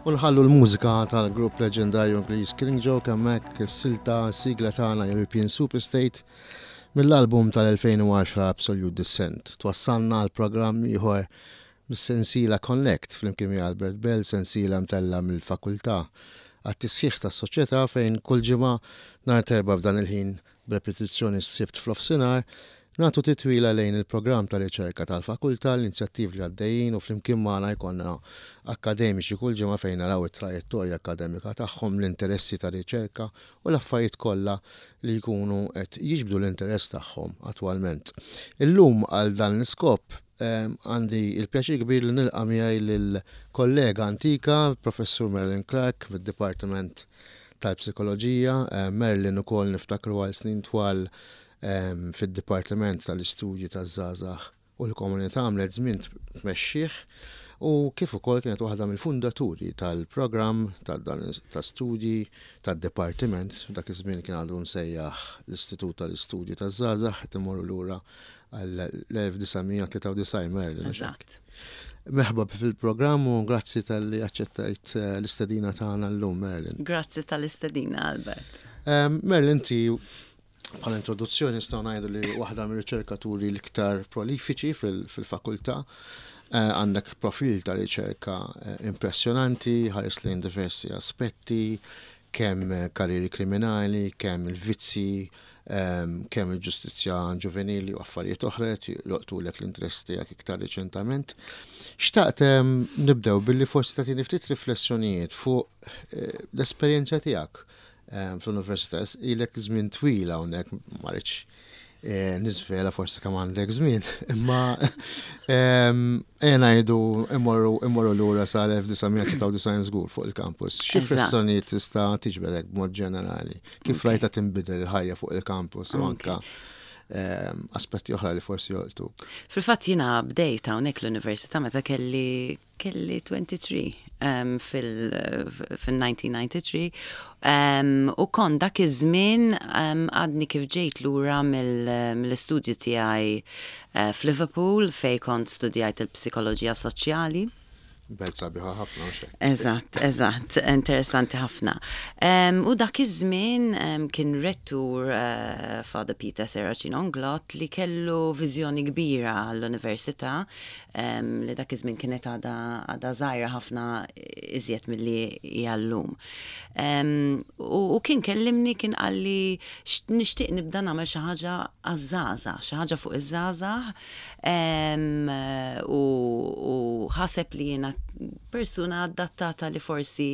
U nħallu l-mużika tal-grupp leġendarju Ingliż Killing Joke hemmhekk is-silta sigla tagħna European Superstate mill-album tal-2010 Absolute Descent. Twassalna għal programm ieħor mis-sensiela Connect flimkien ma' Albert Bell, sensiela mtella' mill-Fakultà għat-Tisħiħ tas-Soċjetà fejn kull ġimgħa nhar t'Erbgħa f'dan il-ħin b'repetizzjoni s-Sibt f'nofsinhar, nagħtu titwila lejn il-programm ta' riċerka tal-Fakultà, l-inizjattivi li għaddejjin u flimkien magħna jkollna akkademiċi kull ġimgħa fejn naraw it-trajettorja akkademika tagħhom, l-interessi ta' riċerka u l-affarijiet kollha li jkunu qed jiġbdu l-interess tagħhom attwalment. Illum għal dan l-iskop Għandi il-pjaċir kbir li nilqa' miegħi lil kollega antika, Professur Marilyn Clark mid-Dipartiment tal-Psikoloġija. Marilyn ukoll niftakru għal snin twal fid-Dipartiment tal-Istudji taż-Żgħażagħ u l-Komunità għamlet żmien tmexxih u kif ukoll kienet waħda mill-fundaturi tal-programm ta' studji tad-dipartiment, dak iż-żmien kien għadu msejjaħ l-Istitut tal-Istudji taż-Żgħażagħ, qed immorru lura għall-1993 Marilyn. Eżatt. Merħba fil-programm u grazzi tal-li aċċettajt eh, l-istedina tagħna llum Marilyn. Grazzi tal-istedina Albert. Ehm, Marilyn inti bħala introduzzjoni nistgħu ngħidu li waħda mir-riċerkaturi l-iktar prolifiċi fil-fakultà. Eh, għandek profil ta' riċerka eh, impressjonanti, ħares lejn diversi aspetti, kemm karrieri kriminali, kemm il-vizzi, kemm il-ġustizzja ġuvenili u affarijiet oħra qed jolqtulek l-interess tiegħek iktar riċentament. Xtaqt nibdew billi forsi tagħtini ftit riflessjonijiet fuq eh, l-esperjenza tiegħek fl-università. Ilek żmien twil hawnhekk ma rridx eh, niżvela forsi kemm għandek żmien, imma ejja ngħidu immorru immorru lura sal-1993 żgur fuq il-campus. Xi riflessjonijiet tista' tiġbedek b'mod ġenerali? Kif rajta tinbidel il-ħajja fuq il-campus u anka ehm, aspetti oħra li forsi jolqtuk? Fil-fatt jiena bdejt hawnhekk l-università meta kelli kelli 23 um, fil-1993 um, u kon dak iż-żmien um, għadni kif ġejt lura mill-istudju tiegħi uh, f'Liverpool fej kont studjajt il-psikoloġija soċjali. Belt sabiħa ħafna mhux hekk. Eżatt, eżatt, interessanti ħafna. U dak iż-żmien kien rettur eh, Father Peter Serracino Inglott li kellu viżjoni kbira għall-università li dak iż-żmien kienet għadha għadha żgħira ħafna iżjed milli hija llum. U kien kellimni kien qalli nixtieq nibda nagħmel xi ħaġa għaż-żgħażagħ, xi ħaġa fuq iż-żgħażagħ u ħaseb li jiena persuna adattata li forsi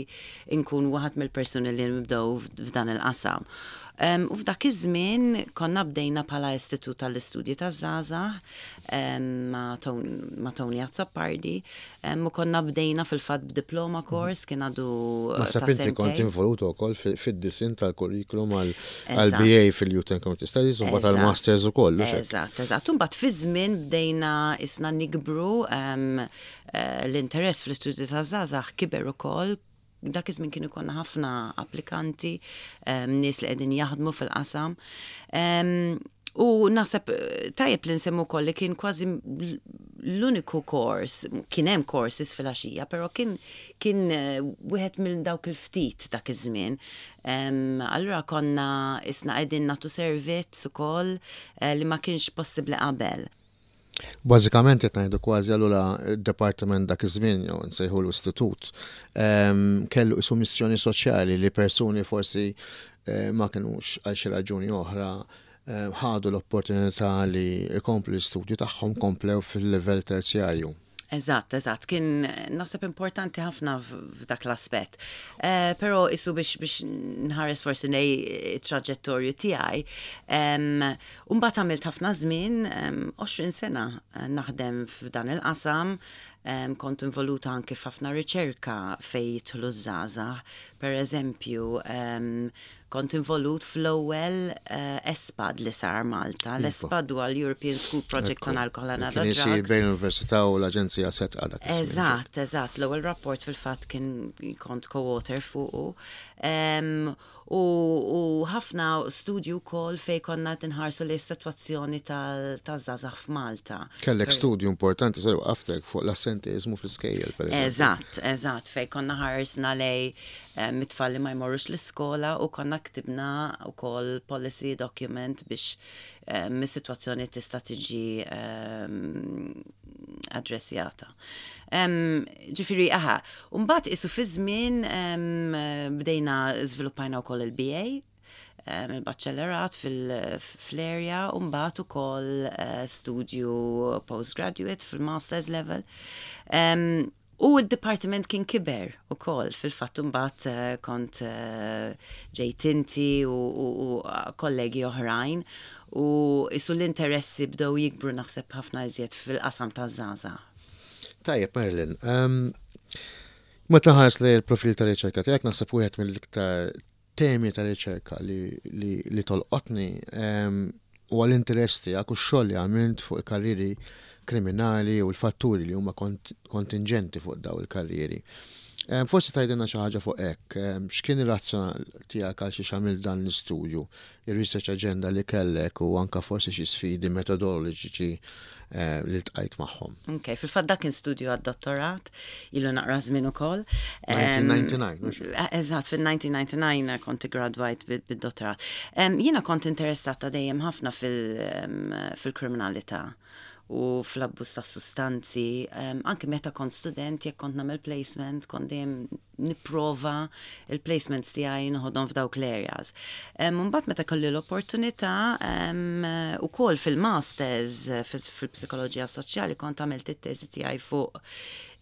nkun waħed mill-persuni li nibdew f'dan il-qasam. U f'dak iż-żmien konna bdejna bħala Istitut tal-Istudji taż-Żgħażagħ ma' Tony Azzopardi U konna bdejna fil-fatt b'diploma course kien għadu Naħseb inti kont involuta wkoll fid-disinn tal-kurrikulum għall-BA fil-Youth and Community Studies u mbagħad għall-Masters ukoll. Eżatt, eżatt. U mbagħad fiż-żmien bdejna isna nikbru l-interess fl-istudji taż-żgħażagħ kiber ukoll dak iż-żmien kienu jkollna ħafna applikanti, nies li qegħdin jaħdmu fil-qasam. U naħseb eh, tajjeb li nsemmu wkoll li kien kważi l-uniku kors, kien hemm courses fil-għaxija, però kien kien eh, wieħed minn dawk il-ftit dak iż-żmien. Allura konna isna qegħdin nagħtu servizz ukoll eh, li ma kienx possibbli qabel. Bażikament qed ngħidu kważi allura d-departiment dak iż-żmien jew nsejħulu istitut ehm, kellu isu missjoni soċjali li persuni forsi eh, ma kinux għal xi raġuni oħra eh, ħadu l-opportunità li jkomplu l-istudju tagħhom komplew fil-livell terzjarju. Eżatt, eżatt, kien naħseb importanti ħafna f'dak l-aspett. Eh, però isu biex biex nħares forsi lejn it-traġettorju tiegħi, mbagħad għamilt ħafna żmien, 20 sena eh, naħdem f'dan il-qasam, kont involuta anke f'ħafna riċerka fejn jidħlu ż-żgħażagħ. Per eżempju, Kont involut fl-ewwel ESPAD li sar Malta. L-ESPAD huwa l-European School Project on Alcohol and Other Drugs. Kien isir bejn l-Università u l-Aġenzija Sedqa dak iż-żmien. Eżatt, eżatt. L-ewwel rapport fil-fatt kien kont co-author fuqu. U ħafna studji wkoll fejn konna qed inħarsu lejn is-sitwazzjoni taż-żgħażagħ f'Malta. Kellek studju importanti, sorry waqaftek, fuq l-assenteiżmu fl-iskejjel, pereżempju. Eżatt, eżatt, fejn konna ħarsna lejn mit-tfal li ma jmorrux l-iskola u konna ktibna wkoll policy document biex is-sitwazzjoni tista' tiġi addressjata. Ġifieri aha, u mbagħad isu fi żmien bdejna żviluppajna wkoll il-BA, il-baċellerat fl-area u mbagħad ukoll eh, studju postgraduate fil-master's level. U d-dipartiment kien kiber ukoll, fil-fatt imbagħad eh, kont eh, ġejt inti u kollegi oħrajn u isu l-interessi bdew jikbru naħseb ħafna iżjed fil-qasam taż-żgħażagħ. Tajjeb, Marilyn. Ehm, meta ħares li l-profil ta' riċerka tiegħek naħseb wieħed mill-iktar temi ta' riċerka li, li, li tolqotni ehm, huwa l-interess tiegħek u x-xogħol li għamilt fuq il-karrieri kriminali u l-fatturi li huma kontingenti fuq daw il-karrieri. Ehm, forsi tgħidilna xi ħaġa fuq hekk, ehm, x'kien ir-razzjonal tiegħek għal xi għamilt dan l-istudju, ir-research agenda li kellek u anka forsi xi sfidi metodoloġiċi eh, li ltqajt magħhom. Ok, fil-fatt dak kien studju għad-dottorat, ilu naqra żmien ukoll. 1999. Eh, eżatt, fil-1999 kont gradwajt bid-dottorat. Jiena kont interessata dejjem ħafna fil-kriminalità u fl-abbuż ta' sustanzi. Anke meta kont student, jekk kont nagħmel placement, kont dejjem nipprova il-placements tiegħi noħodhom f'dawk l-areas. Mbagħad meta kelli l-opportunità ukoll fil-masters fil-psikoloġija soċjali kont għamilt it-teżi tiegħi fuq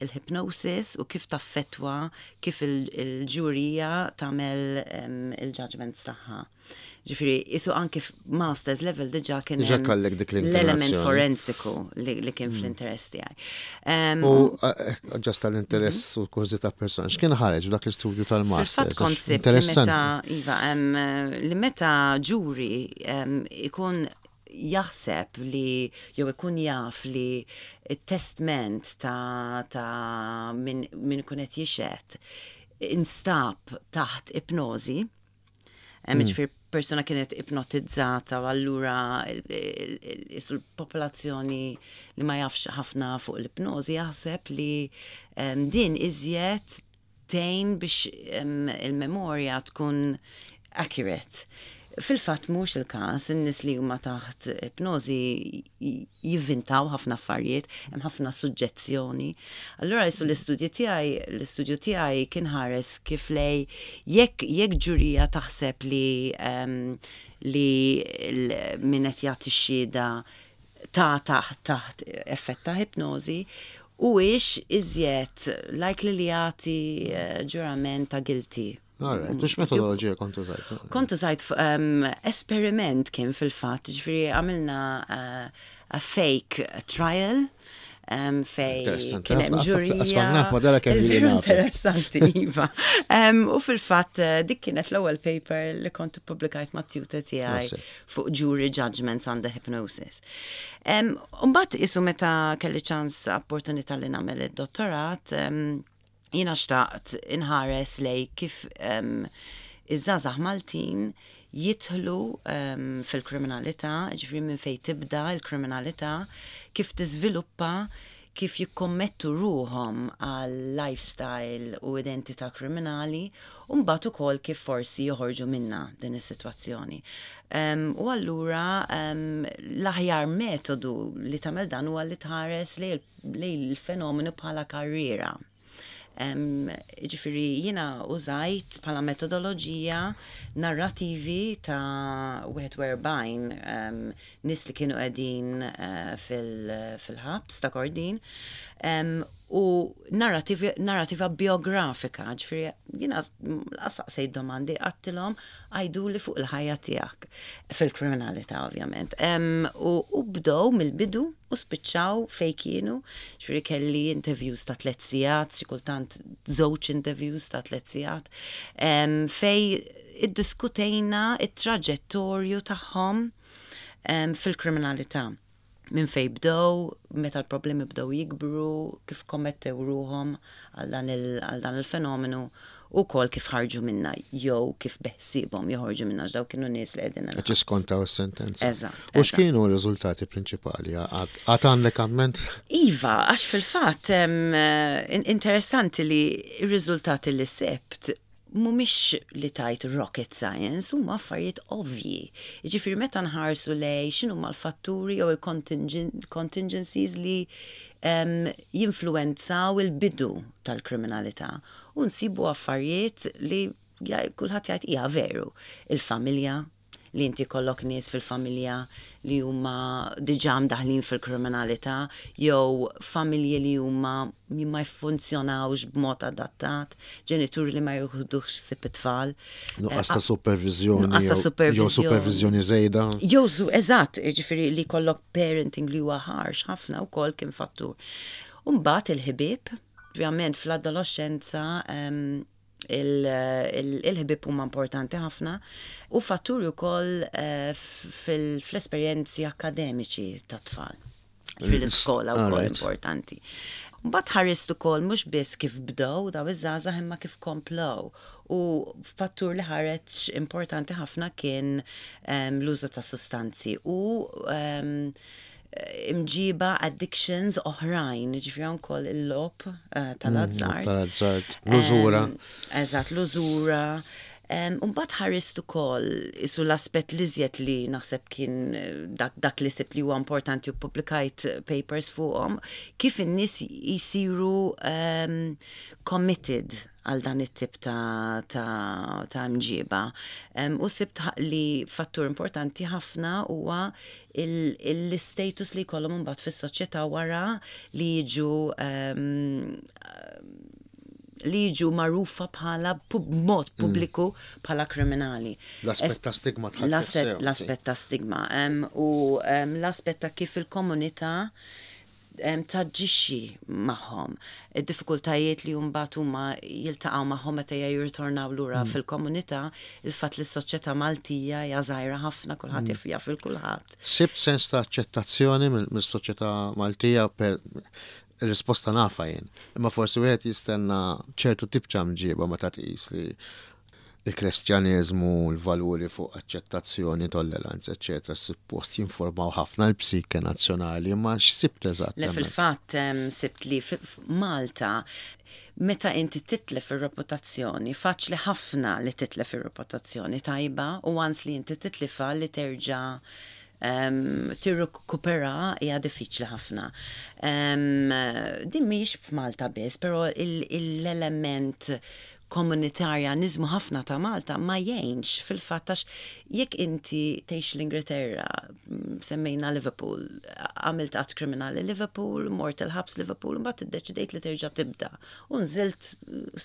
il-hypnosis u kif taffettwa kif il-ġurija tagħmel il-judgments tagħha. Ġifieri, isu anki masters level diġà kien Diġà kellek dik l-element forensiku li kien mm. fl-interess tiegħi. U eh, eh, ġast tal-interess mhm. u kurżità personali, x'kien ħareġ dak l-istudju tal-masters? Fil-fatt kont sibt li meta iva, li meta ġuri ikun jaħseb li jew ikun jaf li t-testment ta', ta min, min ikun qed jixhed instab taħt ipnożi, Hmm. Ġifieri persuna kienet ipnotizzata u allura l-popolazzjoni li ma jafx ħafna fuq l-ipnożi jaħseb li din iżjed tgħin biex il-memorja tkun accurate. Fil-fatt mhux il-każ, in-nies li huma taħt ipnożi jivvintaw ħafna affarijiet, hemm ħafna suġġezzjoni. Allura jisu l-istudji tiegħi, l-istudju tiegħi kien ħares kif lej jekk jekk ġurija taħseb li um, li min qed jagħti x-xhieda ta' taħt taħt effett ta' ipnożi u ix iżjed likely li jagħti eh, ġurament ta' guilty. Alright, u x'metodoloġija kont użajt? Kont użajt um, esperiment kien fil-fatt, ġifieri għamilna uh, a fake trial um, fej kien hemm ġurija. Interessanti, iva. Um, u fil-fatt eh, dik kienet l-ewwel paper li kont ippubblikajt ma' tutor tiegħi fuq jury judgments under hypnosis. Um, Mbagħad isu meta kelli ċans opportunità li nagħmel id-dottorat, um, Jiena xtaqt inħares lej kif iż-żgħażagħ Maltin jidħlu fil-kriminalità, jiġifieri minn fejn tibda l-kriminalità, kif tiżviluppa, kif jikkommettu ruħhom għal lifestyle u identità kriminali, u mbagħad ukoll kif forsi joħorġu minnha din is-sitwazzjoni. U allura l-aħjar metodu li tagħmel dan huwa li tħares lejn lejn il-fenomenu bħala karriera. Ġifieri jiena użajt bħala metodoloġija narrativi ta' 41 nies li kienu qegħdin eh, fil-ħabs ta' Kordin u narrativa biografika, ġifieri jiena saqsejt domandi għattilhom għajduli fuq il-ħajja tiegħek fil-kriminalità ovvjament. U bdew mill-bidu u spiċċaw fejn kienu, ġifieri kelli interviews ta' tlet sigħat, xi kultant żewġ interviews ta' tlet sigħat, fejn iddiskutejna it-traġettorju tagħhom fil-kriminalità. Minn fejn bdew, meta l-problemi bdew jikbru, kif kommettew ruħhom għal dan il-fenomenu u wkoll kif ħarġu minnha jew kif beħsiebhom joħorġu minnha għax dawk kienu nies li qegħdin il-ħabs. Qed jiskontaw is-sentenza. Eżatt. U x'kienu r-riżultati prinċipali? Għad għandek amment? Iva, għax fil-fatt interessanti li r-riżultati li sibt mhumiex li tgħid rocket science, huma affarijiet ovvji. Jiġifieri meta nħarsu lejn x'inhuma l-fatturi jew il-contingencies li jinfluwenzaw il-bidu tal-kriminalità u nsibu affarijiet li kulħadd jgħid hija veru. Il-familja, li inti jkollok nies fil-familja li huma diġà mdaħlin fil-kriminalità jew familji li huma ma jfunzjonawx b'mod adattat, ġenituri li ma jieħdux ħsieb it-tfal. Nuqqas ta' superviżjoni. Nuqqas ta' superviżjoni. Jew superviżjoni żejda. Jew eżatt, jiġifieri li jkollok parenting li huwa harsh ħafna wkoll kien fattur. U mbagħad il-ħbieb, ovvjament fl-adoloxxenza il-ħbieb huma importanti ħafna u fatturi wkoll eh, fl-esperjenzi akkademiċi tat-tfal. Fil-iskola wkoll importanti. Mbagħad ħarist ukoll mhux biss kif bdew daw iż-żgħażagħ imma kif komplow. U fattur li ħareġ importanti ħafna kien ehm, l-użu ta' sustanzi u ehm, imġiba addictions oħrajn, ġifri hawn ukoll il-logħob eh, tal-azzard. Tal-azzard, l-użura. Eżatt, l-użura. Mbagħad ħarist ukoll isu l-aspett li żjed li naħseb kien eh, dak, dak li sibt li huwa importanti u publikajt papers fuqhom, kif in-nies jisiru um, committed għal dan it-tip ta', ta, ta mġiba. Um, u sibt li fattur importanti ħafna huwa l-istatus li jkollhom imbagħad fis-soċjetà wara li jiġu um, li jiġu magħrufa bħala mod mm. pubbliku bħala kriminali. L-aspett ta' stigma L-aspett ta' stigma. U l-aspett ta' kif il-komunità taġixxi magħhom. Id-diffikultajiet li mbagħad huma jiltaqgħu magħhom meta jirritornaw lura mm. fil-komunità, il-fatt li s-soċjetà Maltija hija żgħira ħafna kulħadd mm. jaf il kulħadd. Sibt sens ta' aċċettazzjoni mill-soċjetà Maltija per risposta nafa jien. Imma forsi wieħed jistenna ċertu tip ta' mġiba meta tqis li il-Kristjaneżmu, l-valuri fuq aċċettazzjoni, tolleranza, eċċetera, suppost jinformaw ħafna l-psike nazzjonali, imma x'sibt eżatt? Le fil-fatt sibt li f'Malta meta inti titlef ir-reputazzjoni, faċli ħafna li titlef ir-reputazzjoni tajba u once li inti titlifha li terġa' tirrikupera hija diffiċli ħafna. Din mhijiex f'Malta biss, però l-element komunitarjaniżmu ħafna ta' Malta ma jgħinx fil-fatt għax jekk inti tgħix l-Ingilterra, semmejna Liverpool, għamilt att kriminali Liverpool, mort il-ħabs Liverpool, mbagħad iddeċidejt li terġa' tibda. U nżilt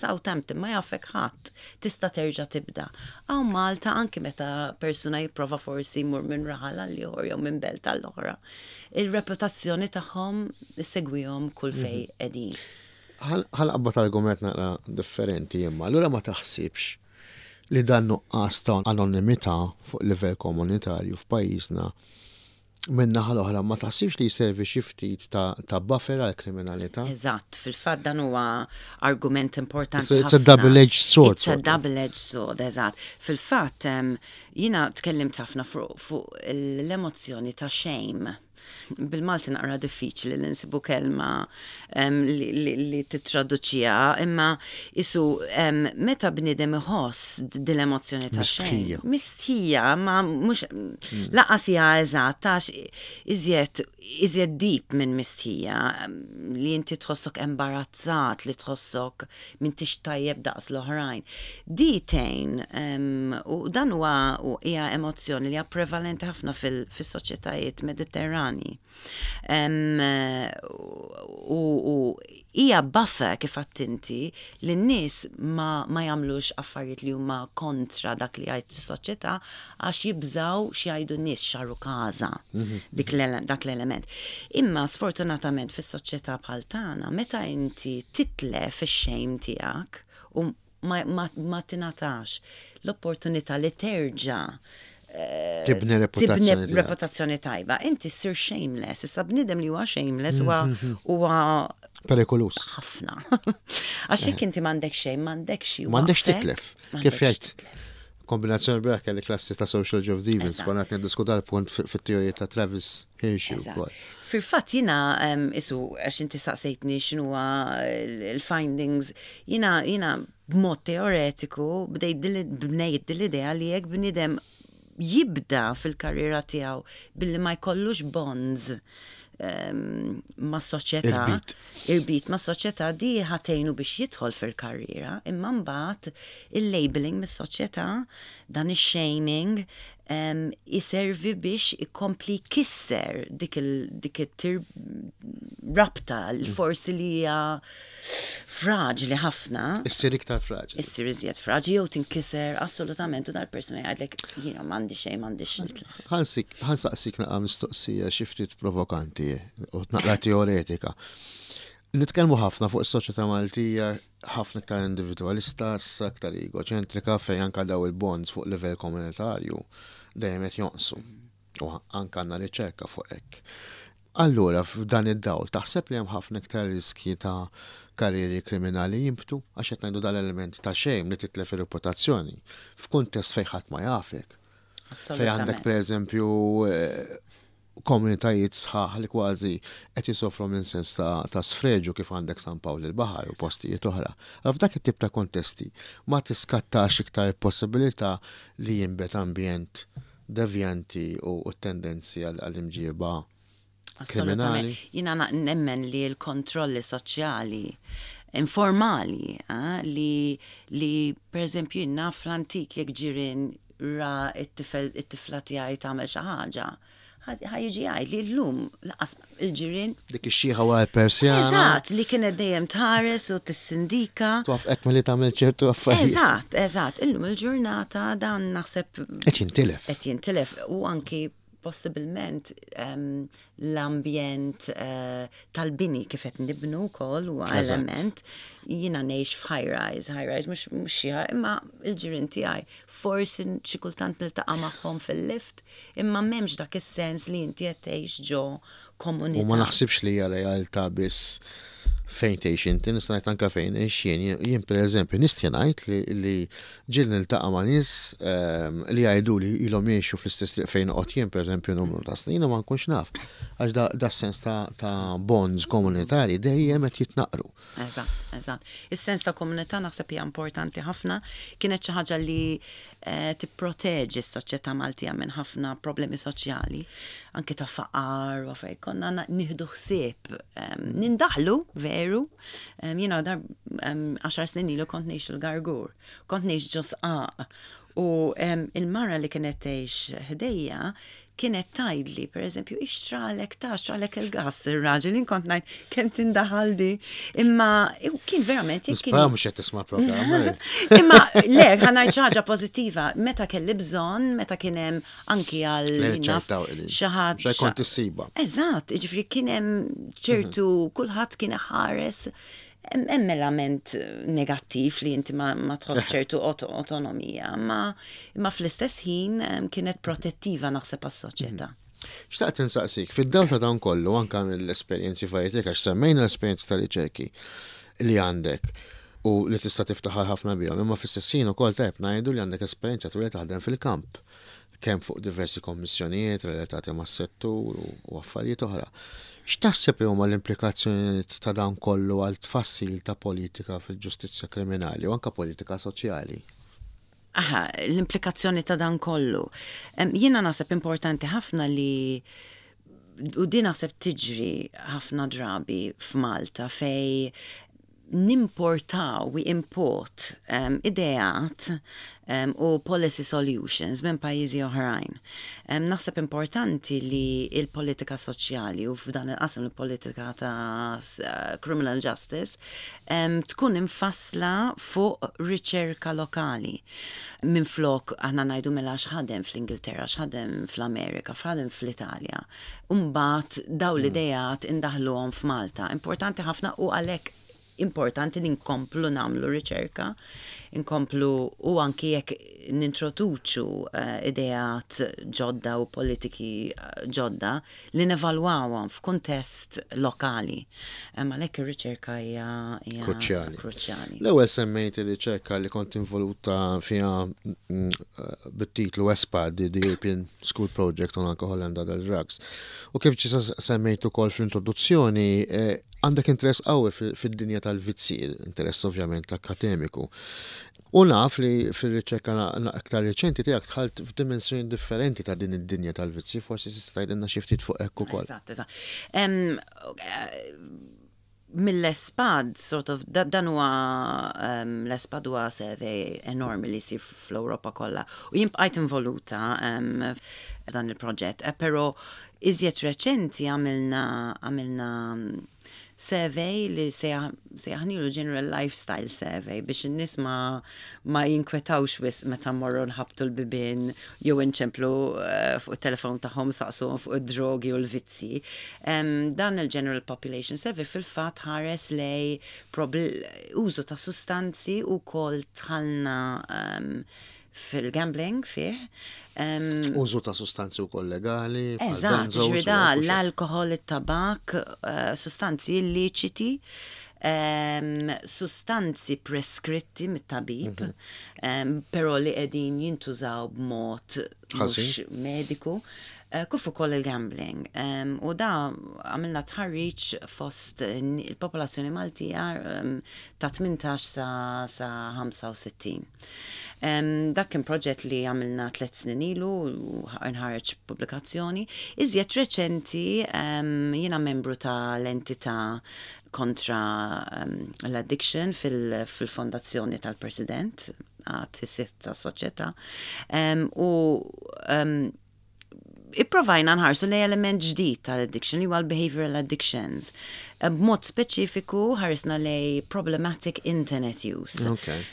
Southampton ma jafek ħadd, tista' terġa' tibda. Hawn Malta anki meta persuna jipprova forsi jmur minn raħal għal ieħor jew minn belt għall oħra, il-reputazzjoni tagħhom issegwihom kull fejn mhm. qegħdin. Ħa nqabbad argument naqra differenti imma, allura ma taħsibx li dan nuqqas ta' anonimità fuq livell komunitarju f'pajjiżna minn naħa l-oħra ma taħsibx li jservi xi ftit ta', ta buffer għal kriminalità? Eżatt, fil-fatt dan huwa argument importanti. It's a double-edged sword. It's a double-edged sword, eżatt. Fil-fatt jiena tkellimt ħafna fuq l-emozzjoni ta' shame. Bil-Malti naqra diffiċli li nsibu kelma li titraduċiha, imma isu meta bniedem iħoss din l-emozzjoni ta' xejn. Mistħija, ma mhux laqas hija eżatt għax iżjed iżjed deep minn mistħija li inti tħossok embarazzat, li tħossok m'intix tajjeb daqs l-oħrajn. Di tgħin u dan huwa hija emozzjoni li hija prevalenti ħafna fis-soċjetajiet Mediterrani. U hija buffer kif għedt inti li n-nies ma, ma jagħmlux affarijiet li huma kontra dak li jgħid is-soċjetà għax jibżgħu x'jgħidu n-nies x'għarukaża dik dak l-element. Imma sfortunatament fis-soċjetà bħal tagħna meta inti titlef ix-shame tiegħek u ma, ma, ma tingħatax l-opportunità li terġa' tibni reputazzjoni tibni reputazzjoni tajba. Inti ssir shameless. Issa bniedem li huwa shameless huwa huwa perikolus. Ħafna. Għax jekk inti m'għandek xejn, m'għandek xi. M'għandekx titlef. Kif jgħid? Kombinazzjoni bra kelli klassi ta' Social Job Demons, konna qed niddiskuta l-punt fit-teorija ta' Travis Hirschi wkoll. Fil-fatt jiena isu għax inti saqsejtni x'inhuwa l-findings, jiena jiena b'mod teoretiku bdejt bnejt din l-idea li jekk bniedem jibda fil-karriera tiegħu billi ma jkollux bonds ma' soċjetà, irbit ma' soċjetà di ħatejnu biex jidħol fil-karriera, imma mbagħad il-labeling mis-soċjetà, dan ix-shaming, iservi biex ikompli jkisser dik it-rabta li forsi li hija fraġli ħafna. Issir iktar fraġli. Issir iżjed fraġli jew tinkiser assolutament u dal-persuna jgħidlek jiena m'għandi xejn m'għandix nitlef. Ħansik, ħansaqsik naqa' mistoqsija xi ftit provokanti u naqra teoretika. Nitkellmu ħafna fuq is-soċjetà Maltija ħafna iktar individwalista, issa iktar egoċentrika fejn anka daw il-bonds fuq livell komunitarju dejjem qed jonqsu. U anka għandna riċerka fuq hekk. Allura f'dan id-dawl taħseb li hemm ħafna iktar riskji ta' karrieri kriminali jinbtu għax qed ngħidu dal-element ta' xejn li titlef ir-reputazzjoni f'kuntest fejn ħadd ma jafek. Fejn għandek pereżempju eh, komunitajiet sħaħ li kważi qed jisofru minn sens ta', ta sfreġu kif għandek San Pawl il-Baħar u postijiet oħra. F'dak it-tip ta' kontesti ma tiskattax iktar il-possibilità li jinbet ambjent devjanti u tendenzi għall-imġiba kriminali. Jiena nemmen li l-kontrolli soċjali informali eh, li, li per eżempju jien naf fl-antik jekk ġirien ra it-tifel it-tifla tiegħi tagħmel xi ħaġa, ħa jiġi jgħid li llum laqas il-ġirien. Dik ix-xiħa wara l-Persjana. Eżatt, li kienet dejjem tħares u tissindika. Twaffqek milli tagħmel ċertu affarijiet. Eżatt, eżatt. Illum il-ġurnata dan naħseb. Qed jintilef. Qed jintilef u anki possibilment l-ambjent eh, tal-bini kif qed nibnu wkoll huwa element. Jiena ngħix f'high rise, high rise mhux xi imma l-ġirien tiegħi forsi xi kultant niltaqa' magħhom fil-lift, imma m'hemmx dak is-sens li inti qed tgħix ġo komunità. U ma naħsibx li hija realtà biss fejn tgħix inti, nista' ngħid anke fejn ngħix jien. Jien pereżempju nista' ngħid li, li ġieli niltaqa' ma' nies ehm, li jgħidu li ilhom jgħixu fl-istess triq fejn noqgħod jien pereżempju numru ta' snin u ma nkunx naf. Għax da, da sens ta', ta bonds komunitarji dejjem qed jitnaqru. Eżatt, eżatt. Is-sens ta' komunità naħseb hija importanti ħafna. Kienet xi ħaġa li eh, tipproteġi s-soċjetà Maltija minn ħafna problemi soċjali, anke ta' faqar u affarijiet. Konna nieħdu ħsieb ehm, nindaħlu veru. Ehm, jiena dar ehm, għaxar snin ilu kont ngħix il-Gargur, kont ngħix ġo sqaq. U il-mara li kienet tgħix ħdejja kienet tgħidli, pereżempju, ixtralek ta' xtralek il-gass ir-raġel, jien kont ngħid kemm tindaħal di. Imma kien verament jekk kien. Mhux qed tisma' programm. Imma le, ħa ngħid xi ħaġa pożittiva, meta kelli bżonn, meta kien hemm anki għal xi ħadd. Kont issiba. Eżatt, jiġifieri kien hemm ċertu kulħadd kien iħares Hemm element negattiv li inti ma, ma tħoss ċertu autonomija, ma, imma fl-istess ħin kienet protettiva naħseb għas-soċjetà. Mhm. Xtaqt insaqsik, fid-dawl ta' dan kollu anka mill-esperjenzi varji tiegħek għax semmejna l-esperjenzi tal-riċerki li għandek u li tista' tiftaħar ħafna bihom, imma fl-istess ħin ukoll tajb ngħidu li għandek esperjenza twila taħdem fil-kamp. kemm fuq diversi kommissjonijiet relatati mas-settur u affarijiet oħra. X'taħseb li huma l-implikazzjonijiet ta' dan kollu għal tfassil ta' politika fil-ġustizzja kriminali u anke politika soċjali? Aha, l-implikazzjoni ta' dan kollu. Jiena naħseb importanti ħafna li u din naħseb tiġri ħafna drabi f'Malta fej nimportaw, we import um, ideat um, u policy solutions minn pajjiżi oħrajn. Um, naħseb importanti li il-politika soċjali u f'dan il-qasam il-politika ta' eh, criminal justice um, tkun imfassla fuq riċerka lokali. Minn flok aħna ngħidu mela x'ħadem fl-Ingilterra, x'ħadem fl-Amerika, x'ħadem fl-Italja. Umbagħad daw hmm. l-idejat indaħluhom f'Malta. Importanti ħafna u għalhekk importanti li nkomplu nagħmlu riċerka, nkomplu u anki jekk nintroduċu eh, ideat ġodda u politiki eh, ġodda li nevalwawhom f'kuntest lokali. Għalhekk ir-riċerka hija kruċjali. kruċjali. L-ewwel semmejt ir-riċerka li kont involuta fiha mm, eh, bit-titlu ESPAD, the European School Project on Alcohol and Other Drugs. U kif ġisa semmejt ukoll fl-introduzzjoni, eh, għandek interess qawwi fid-dinja tal-vizzi, interess ovvjament akademiku. U naf li fir-riċerka aktar reċenti tiegħek dħalt f'dimensjoni differenti ta' din id-dinja tal-vizzi, forsi tista' tgħidilna xi ftit fuq hekk ukoll. Eżatt, eżatt. Mill-ESPAD, sort of, dan huwa l-ESPAD huwa survey enormi li jsir fl-Ewropa kollha. U jien bqajt involuta f'dan il-proġett, eh, però iżjed reċenti għamilna għamilna survey li sejjaħnilu General Lifestyle Survey biex in-nies ma ma jinkwetawx wisq meta mmorru nħabbtu l-bibien jew inċemplu eh, fuq it-telefon tagħhom saqsuhom fuq id-drogi u l-vizzji. Dan il-General Population Survey fil-fatt ħares lej użu ta' sustanzi u kol tħallna fil-gambling fih. Użu ta' sustanzi wkoll legali. Eżatt, ġifieri da l-alkohol, it-tabak, eh, sustanzi illiċiti, sustanzi preskritti mit-tabib, mhm. però li qegħdin jintużaw b'mod mhux mediku. Eh, kif ukoll il-gambling. U da għamilna tħarriġ fost il-popolazzjoni Maltija ta' 18 sa 65. Dak kien proġett li għamilna tlet snin ilu u nħareġ pubblikazzjoni. Iżjed reċenti jiena membru ta' l-entità kontra l-addiction fil-fondazzjoni tal-President għat tas soċjetà. U ipprovajna nħarsu lej element ġdid tal-addiction li huwa l-behavioral addictions. Eh, b'mod speċifiku ħarisna lej problematic internet use.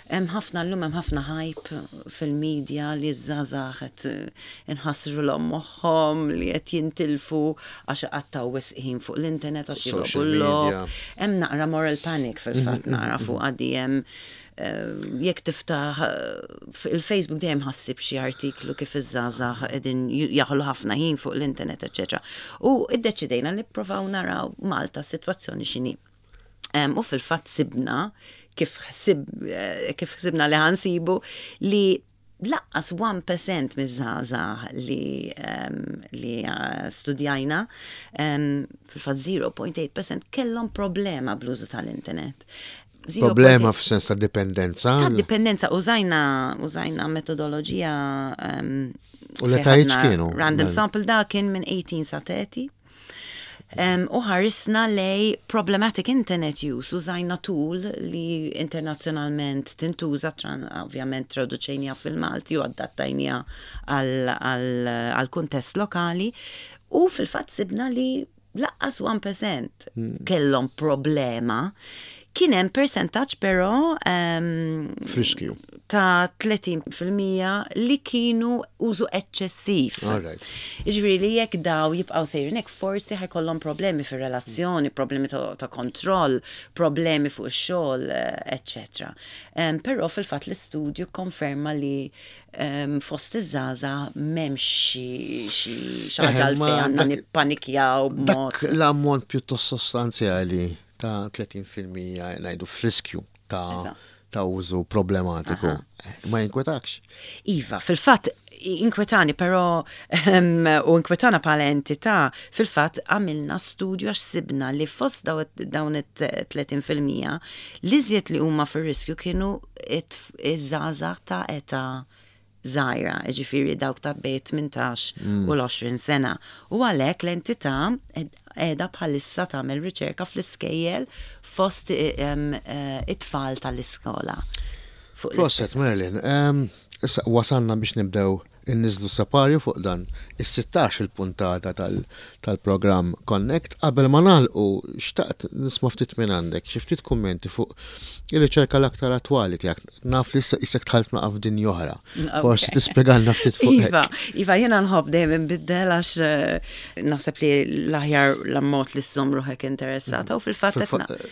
Hemm ħafna llum hemm ħafna hype fil-media li ż-żgħażagħ qed eh, inħassrulhom moħħhom li qed jintilfu għax iqattgħu wisq ħin fuq l-internet għax jilogħbu l-logħob. Hemm naqra moral panic fil-fatt mhm, naqra mhm, fuq mhm. għaddi jekk tiftaħ il-Facebook dejjem ħassib xi artiklu kif iż-żgħażagħ qegħdin jaħlu ħafna ħin fuq l-internet, eċetera. U iddeċidejna li ppruvaw naraw Malta s-sitwazzjoni x'inhi. U fil-fatt sibna kif ħsib eh, kif ħsibna li ħansibu li laqqas 1% miż-żgħażagħ li li eh, studjajna fil-fatt 0.8% kellhom problema bl-użu tal-internet. Problema f'sens ta' dipendenza. Ta' dipendenza użajna użajna metodoloġija U l-etajiet kienu? Random sample da kien minn 18 sa 30. U ħarisna lej problematic internet use, użajna tool li internazzjonalment tintuża, ovvjament traduċejnija fil-Malti u adattajnija għal kuntest lokali, u fil-fatt sibna li laqqas 1% kellhom problema. Kien hemm percentaġġ però F'riskju. ta' 30% li kienu użu eċċessiv. Jiġifieri li jekk daw jibqgħu sejrin hekk forsi ħa jkollhom problemi fir-relazzjoni, problemi ta' kontroll, problemi fuq ix-xogħol, eċċetera. Però fil-fatt l-istudju konferma li fost iż-żgħażagħ m'hemmx xi ħaġa għalfejn għandna nippanikjaw b'mod. L-ammont pjuttost sostanzjali ta' 30% ngħidu f'riskju ta' ta' użu problematiku. Ma jinkwetakx? Iva, fil-fatt inkwetani, però u inkwetana bħala entità, fil-fatt għamilna studju għax sibna li fost dawn it-30% li żied li huma fir-riskju kienu iż-żgħażagħ ta' età żgħira, jiġifieri dawk ta' bejn 18 u l-20 sena. U għalhekk l-entità qiegħda bħalissa tagħmel riċerka fl-iskejjel fost it-tfal tal-iskola. Proset Merlin, issa wasalna biex nibdew inniżlu separju fuq dan is-16 il-puntata tal-programm Connect. Qabel ma nagħlqu xtaqt nisma' ftit minn għandek, xi ftit kummenti fuq ir-riċerka l-aktar attwali tiegħek. Naf li issa isek dħalt naqa' f'dinja oħra. Forsi tispjegalna ftit fuq. Iva, iva jiena nħobb dejjem inbiddel għax eh, naħseb li l-aħjar l-ammont li żżomm ruħek interessata u fil-fatt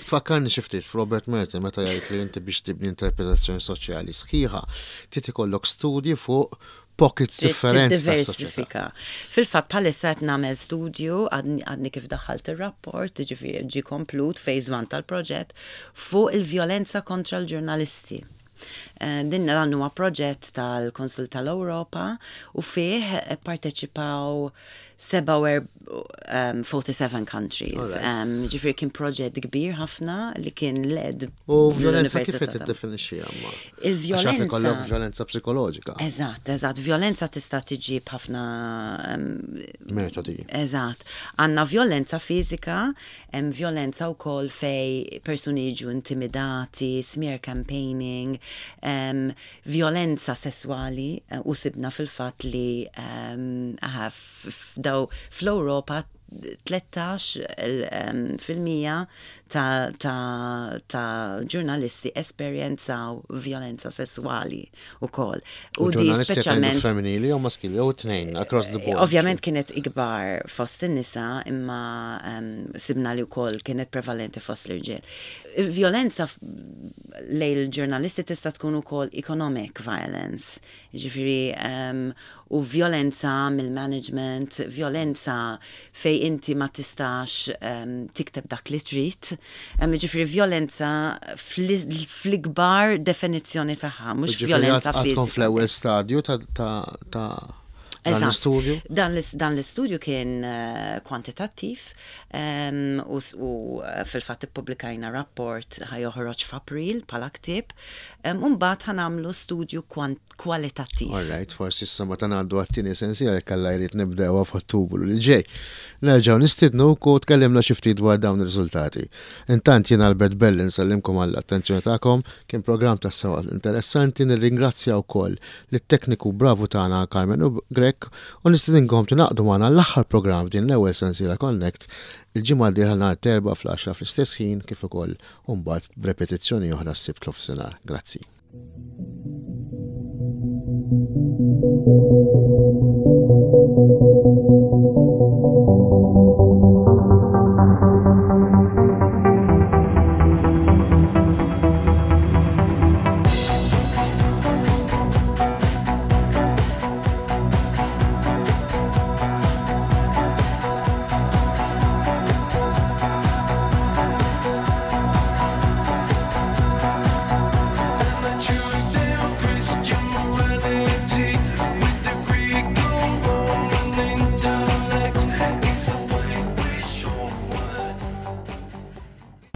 Tfakkarni xi ftit f'Robert Merton meta jgħid li inti biex tibni interpretazzjoni soċjali sħiħa trid ikollok studji fuq pockets differenti. Diversifika. Fil-fatt bħalissa qed nagħmel studju għadni kif daħħalt ir-rapport, ġifieri ġie komplut phase 1 tal-proġett fuq il-vjolenza kontra l-ġurnalisti. Eh, din dan huwa proġett tal-Konsul tal-Ewropa u fih parteċipaw 47 countries. Ġifieri kien proġett kbir ħafna li kien led. U violenza kif qed tiddefinixxiha ma? Il-vjolenza. ikollok violenza psikoloġika. Eżatt, eżatt. Violenza tista' tiġi b'ħafna metodi. Eżatt. Għandna violenza fiżika, hemm violenza wkoll fej persuni jiġu intimidati, smear campaigning, violenza sesswali eh, u sibna fil-fatt li f'daw fl-Ewropa 13% ta', ta, ta ġurnalisti esperjenzaw violenza sesswali ukoll. U di speċjalment femminili jew maskili jew tnejn across the board. Ovvjament kienet ikbar fost in-nisa imma sibna li wkoll kienet prevalenti fost l-irġiel. Violenza lejn il-ġurnalisti tista' tkun ukoll economic violence, Jiġifieri u vjolenza mill-management, vjolenza fejn inti ma tistax tikteb dak li trid. Jiġifieri vjolenza fl-ikbar definizzjoni tagħha, mhux vjolenza fiżika. Għadkom fl-ewwel stadju ta' dan l-istudju? Dan l-istudju kien eh, kwantitattiv u fil-fatt ippubblikajna rapport ħa joħroġ f'April bħala ktieb. U mbagħad ħa nagħmlu studju kwalitattiv. All right, forsi issa meta ngħaddu għat-tieni sensiela jekk Alla jrid nibdewha f'Ottubru li ġej. Nerġgħu nistiednuk u tkellimna xi ftit dwar dawn ir-riżultati. Intant jien Albert Belli nsellimkom għall-attenzjoni tagħkom, kien programm tassew interessanti, nirringrazzja wkoll lit-tekniku bravu tagħna Carmen Grech u nistedinkom tingħaqdu magħna l-aħħar programm f'din l-ewwel sensiela Connect il-ġimgħa d-dieħla nhar t-Erbgħa fl-għaxra fl-istess ħin kif ukoll u mbagħad b'repetizzjoni oħra s-Sibt f'nofsinhar. Grazzi. Thank you.